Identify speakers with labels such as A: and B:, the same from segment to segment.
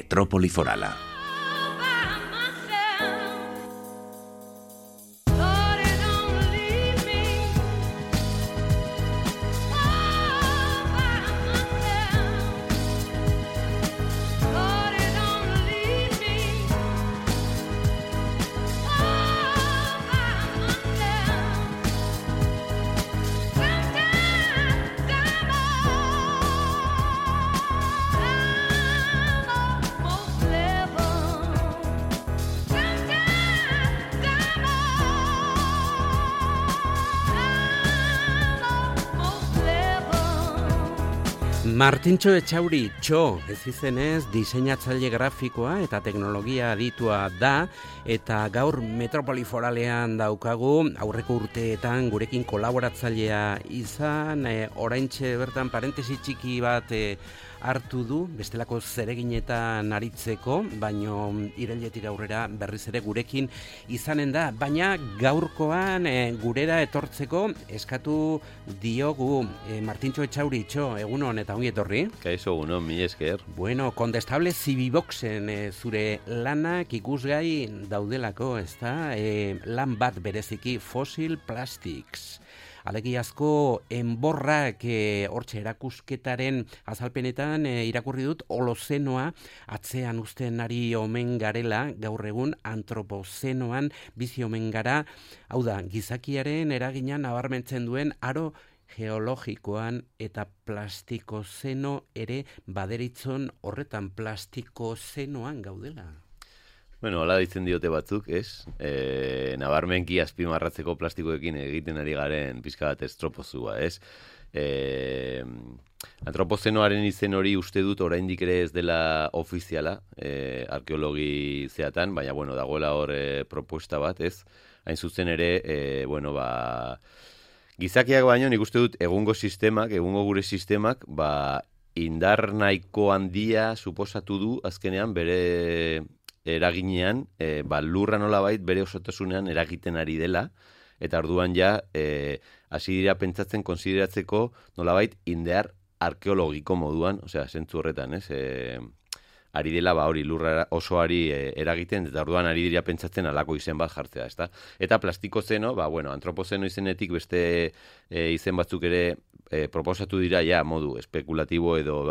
A: Metrópoli Forala.
B: Martintxo Etxauri, ez izenez, diseinatzaile grafikoa eta teknologia aditua da, eta gaur Metrópoli Foralean daukagu, aurreko urteetan gurekin kolaboratzailea izan, oraintxe bertan parentesi txiki bat hartu du, bestelako zereginetan aritzeko, baino irailetik aurrera berriz ere gurekin izanen da, baina gaurkoan gurera etortzeko eskatu diogu Martintxo Etxauri, egunon eta ongi etorri.
C: Kaixo, egunon, mi esker.
B: Bueno, Condestable Cibiboxen zure lanak ikusgai daudelako, ezta? Lan bat bereziki Fossil Plastics. Alegiazko enborrak hortxe erakusketaren azalpenetan irakurri dut Holozenoa atzean uzten ari omen garela, gaur egun antropozenoan bizi omen gara, hau da, gizakiaren eragina nabarmentzen duen aro geologikoan eta plastikozeno ere baderitzon horretan plastikozenoan gaudela.
C: Bueno, hola ditzen diote batzuk, ez? Nabarmenki azpimarratzeko plastikoekin egiten ari garen pizka bat estropozua, ez? Antropozenoaren izen hori uste dut oraindik ere ez dela ofiziala, arkeologi zeatan, baina, bueno, dagoela hor propuesta bat, ez? Hain zuzen ere, gizakiak baino nik uste dut egungo gure sistemak, indar nahiko handia suposatu du azkenean bere eraginean, lurra nolabait bere osotasunean eragiten ari dela, eta orduan ja hasi dira pentsatzen konsideratzeko nolabait indar arkeologiko moduan, osea, zentzu horretan, ez? Ari dela hori lurra osoari eragiten, eta orduan ari dira pentsatzen alako izen bat jartzea, ezta? Eta plastikozeno, antropozeno izenetik beste izen batzuk ere proposatu dira ja modu espekulatibo edo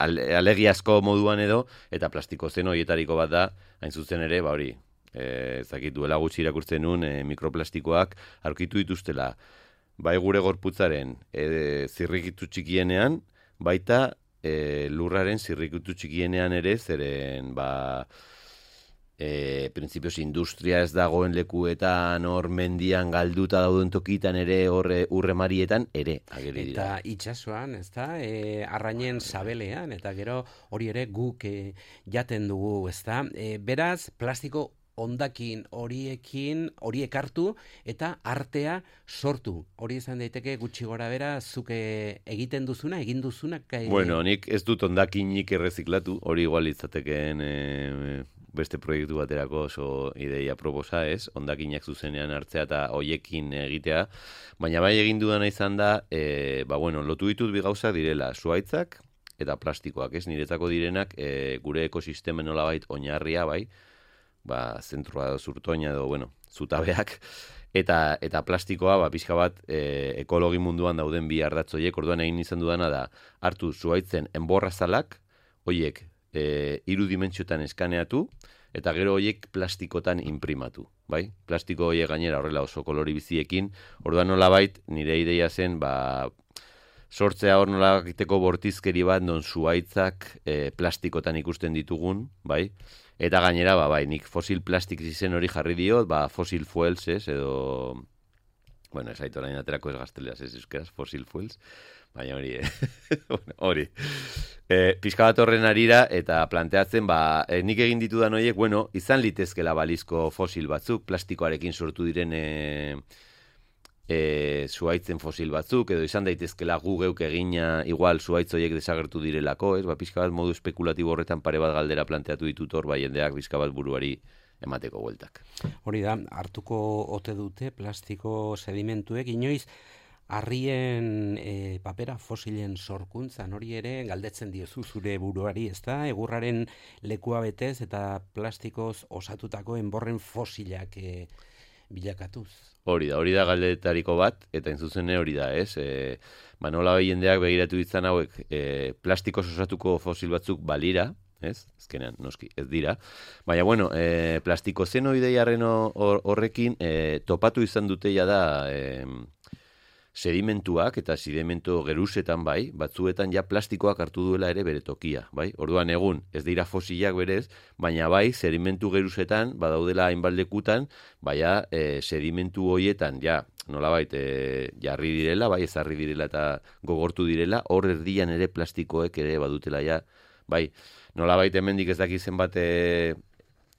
C: alegiazko moduan edo, eta plastikozeno hietariko bat da, hain zuzen ere, ezakit duela gutxi irakurtzen nun, mikroplastikoak aurkitu dituztela, bai gure gorputzaren zirrikitu txikienean, baita lurraren zirrikitu txikienean ere, zeren, printzipioz industria ez dagoen lekuetan, hor mendian galduta dauden tokitan ere, hor urremarietan ere ageri dira.
B: Eta itsasoan, ezta, arrainen sabelean, eta gero hori ere guk jaten dugu, ezta. Beraz, plastiko hondakin horiek hartu eta artea sortu. Hori izan daiteke gutxi gora bera, zuk egin duzuna?
C: Bueno, nik ez dut hondakinik erreziklatu, hori igual litzatekeen beste proiektu baterako oso ideia proposa, ez? Hondakinak zuzenean hartzea eta hoiekin egitea, baina bai egin dudana izan da, lotu ditut bi gauza direla, zuhaitzak eta plastikoak, ez? Niretzako direnak gure ekosistemen nolabait oinarria, zentrua zurtoina edo, zutabeak, eta plastikoa, pixka bat, ekologi munduan dauden bi ardatzoiek, orduan egin izan dudana da, hartu zuhaitzen enborrazalak, hoiek 3 dimentsiotan eskaneatu, eta gero horiek plastikotan imprimatu, bai? Plastiko horiek gainera horrela oso kolori biziekin, orduan nolabait, nire ideia zen, sortzea hor nolabakiteko bortizkeri bat, non zuhaitzak plastikotan ikusten ditugun, bai? Eta gainera, nik Fossil Plastics izen hori jarri diot, Fossil Fuels, ez, edo, ez aitu orain aterako ez gazteleaz, ez euskeraz, Fossil Fuels, baina hori. Pixka bat horren arira, eta planteatzen, nik egin ditudan horiek, izan litezkela balizko fosil batzuk, plastikoarekin sortu diren zuhaitzen fosil batzuk, edo izan daitezkela gu geuk egina igual zuhaitz horiek desagertu direlako, ez? Pixka bat modu espekulatibo horretan pare bat galdera planteatu ditut hor, jendeak pixka bat buruari emateko bueltak.
B: Hori da, hartuko ote dute plastiko sedimentuek, inoiz Harrien papera fosilen sorkuntzan hori ere galdetzen diozu zure buruari, ezta? Egurraren lekua betez eta plastikoz osatutako enborren fosilak bilakatuz.
C: Hori da galdetariko bat, eta entzuzene hori da, ez? Nola jendeak begiratu ditzan hauek, plastikoz osatuko fosil batzuk balira, ez? Ezkenean, noski, ez dira. Baina, bueno, plastiko zenoideiaren horrekin topatu izan duteia da sedimentuak eta sedimentu geruzetan bai, batzuetan ja plastikoak hartu duela ere bere tokia, bai? Orduan egun, ez dira fosilak berez, baina bai, sedimentu geruzetan, badaudela hainbaldekutan, baina sedimentu hoietan, ja, nolabait, jarri direla, bai, ezarri direla eta gogortu direla, hor erdian ere plastikoek ere badutela ja, bai, nolabait hemendik ez dakizen bat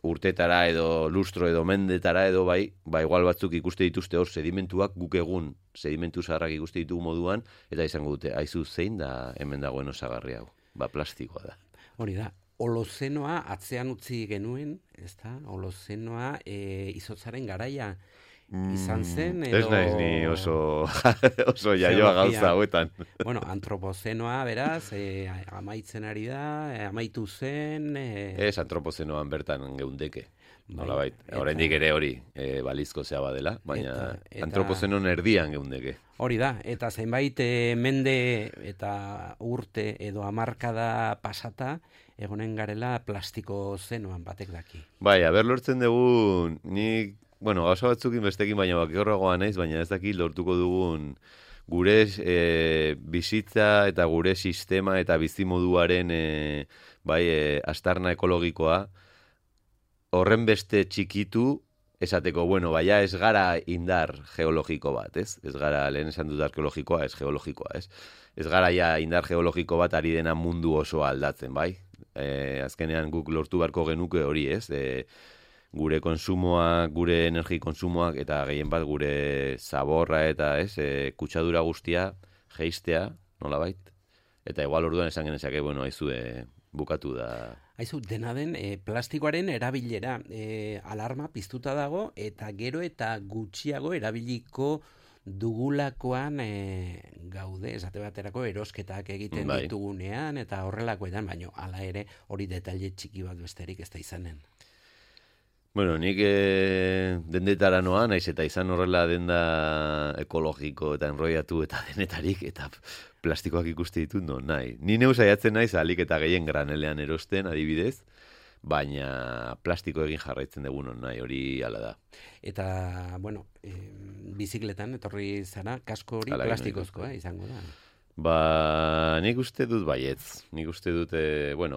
C: urtetara edo lustro edo mendetara edo bai, igual batzuk ikuste dituzte hor sedimentuak, guk egun sedimentu zaharrak ikuste ditugu moduan, eta izango dute, aizu zein da hemen dagoen osagarri hau, plastikoa da.
B: Hori da, holozenoa atzean utzi genuen, ez da, holozenoa izotzaren garaia izan zen, edo...
C: Ez naiz ni oso jaioa gauza hauetan.
B: Bueno, antropozenoa, beraz, amaitzen ari da, amaitu zen...
C: Ez antropozenoan bertan geundeke. Nolabait, oraindik ere hori balizko zea badela, baina antropozenon erdian geundeke.
B: Hori da, eta zenbait mende eta urte edo hamarkada pasata, egonen garela plastiko zenoan batek daki.
C: Bai, aber lortzen dugu, nik... Bueno, gauza batzukin bestekin, baina bakigorragoa naiz, baina ez dakit lortuko dugun gure bizitza eta gure sistema eta bizimoduaren astarna ekologikoa horren beste txikitu esateko, bueno, baina ez gara indar geologiko bat, ez? Ez gara, lehen esan dut arkeologikoa, ez geologikoa, ez? Ez gara ja indar geologiko bat ari dena mundu oso aldatzen, bai? Azkenean guk lortu beharko genuke hori, ez? Gure konsumoak, gure energi konsumoak eta gehien bat gure zaborra eta kutsadura guztia jeistea, nolabait. Eta igual orduan esan genezake, bueno, aizue bukatu da.
B: Aizu, dena den, plastikoaren erabilera alarma piztuta dago eta gero eta gutxiago erabiliko dugulakoan gaude, esate baterako erosketak egiten ditugunean eta horrelakoetan, baino hala ere hori detaile txiki bat besterik ez da izanen.
C: Bueno, nik dendetara noa, naiz eta izan horrela denda ekologiko eta enroiatu eta denetarik, eta plastikoak ikuste ditut, no, nahi. Ni neu saiatzen naiz, alik eta gehien granelean erosten, adibidez, baina plastiko egin jarraitzen dugu non, nahi, hori hala da.
B: Eta, bueno, bizikletan, etorri zara, kasko hori plastikozkoa izango da.
C: Nik uste dut baietz. Nik uste dut,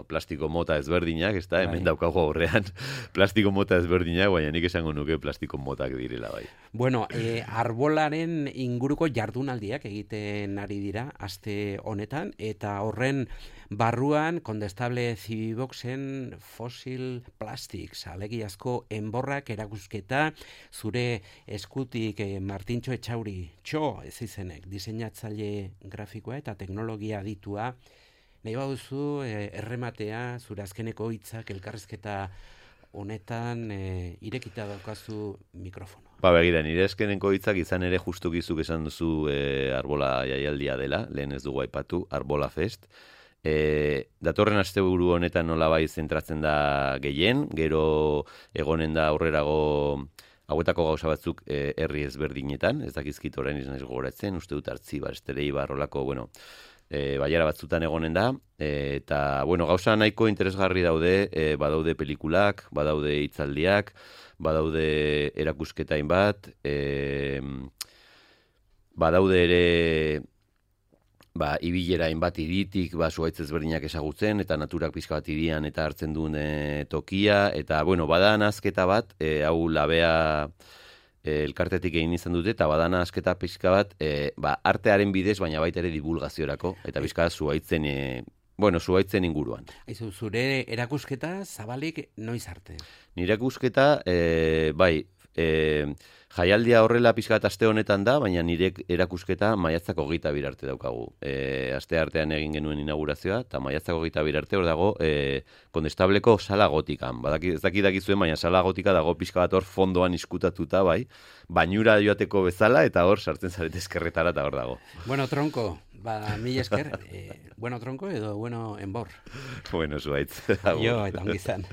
C: plastiko mota ezberdinak, ez da, hemen daukago aurrean plastiko mota ezberdinak, baina nik esango nuke plastiko motak direla bai.
B: Bueno, arbolaren inguruko jardunaldiak egiten ari dira aste honetan, eta horren barruan Condestable Civiboxen Fossil Plastics, alegiazko enborrak erakusketa zure eskutik Martintxo Etxauri, ez izenek, diseinatzaile grafikoa eta teknologia aditua. Nahi baduzu errematea zure azkeneko hitzak elkarrizketa honetan irekita daukazu mikrofono.
C: Begira, nire azkeneko hitzak izan ere justukizuk esan duzu arbola jaialdia dela, lehen ez dugu aipatu, Arbola Fest. Datorren asteburu honetan nolabai zentratzen da gehien, gero egonen da aurrerago hauetako gauza batzuk herri ezberdinetan, ez dakizkit orain izan ez gogoratzen, uste dut Artzibar, Estereibar, rolako, baiara batzutan egonen da, eta, gauza nahiko interesgarri daude, badaude pelikulak, badaude hitzaldiak, badaude erakusketain bat, badaude ere ibilera hainbat iritik, zuhaitz ezberdinak ezagutzen, eta naturak pixka bat irian eta hartzen duen tokia, eta, bada nazketa bat, hau labea elkartetik egin izan dute, eta bada nazketa pixka bat, artearen bidez, baina baita ere divulgaziorako, eta pixka zuhaitzen inguruan.
B: Zure erakusketa zabalik noiz arte?
C: Nire erakusketa, Jaialdia horrela pixkat aste honetan da, baina nire erakusketa maiatzak 22 arte daukagu. Aste artean egin genuen inaugurazioa, eta maiatzak 22 arte hor dago Kondestableko sala gotikan. Ez dakizuen, baina sala gotika dago pixka bat hor fondoan iskutatuta, bai, bainura joateko bezala, eta hor sartzen zarete eskerretara eta hor dago.
B: Bueno, tronko, mila esker, bueno tronko edo bueno enbor.
C: Bueno, zuaitz.
B: Jo, eta ongizan.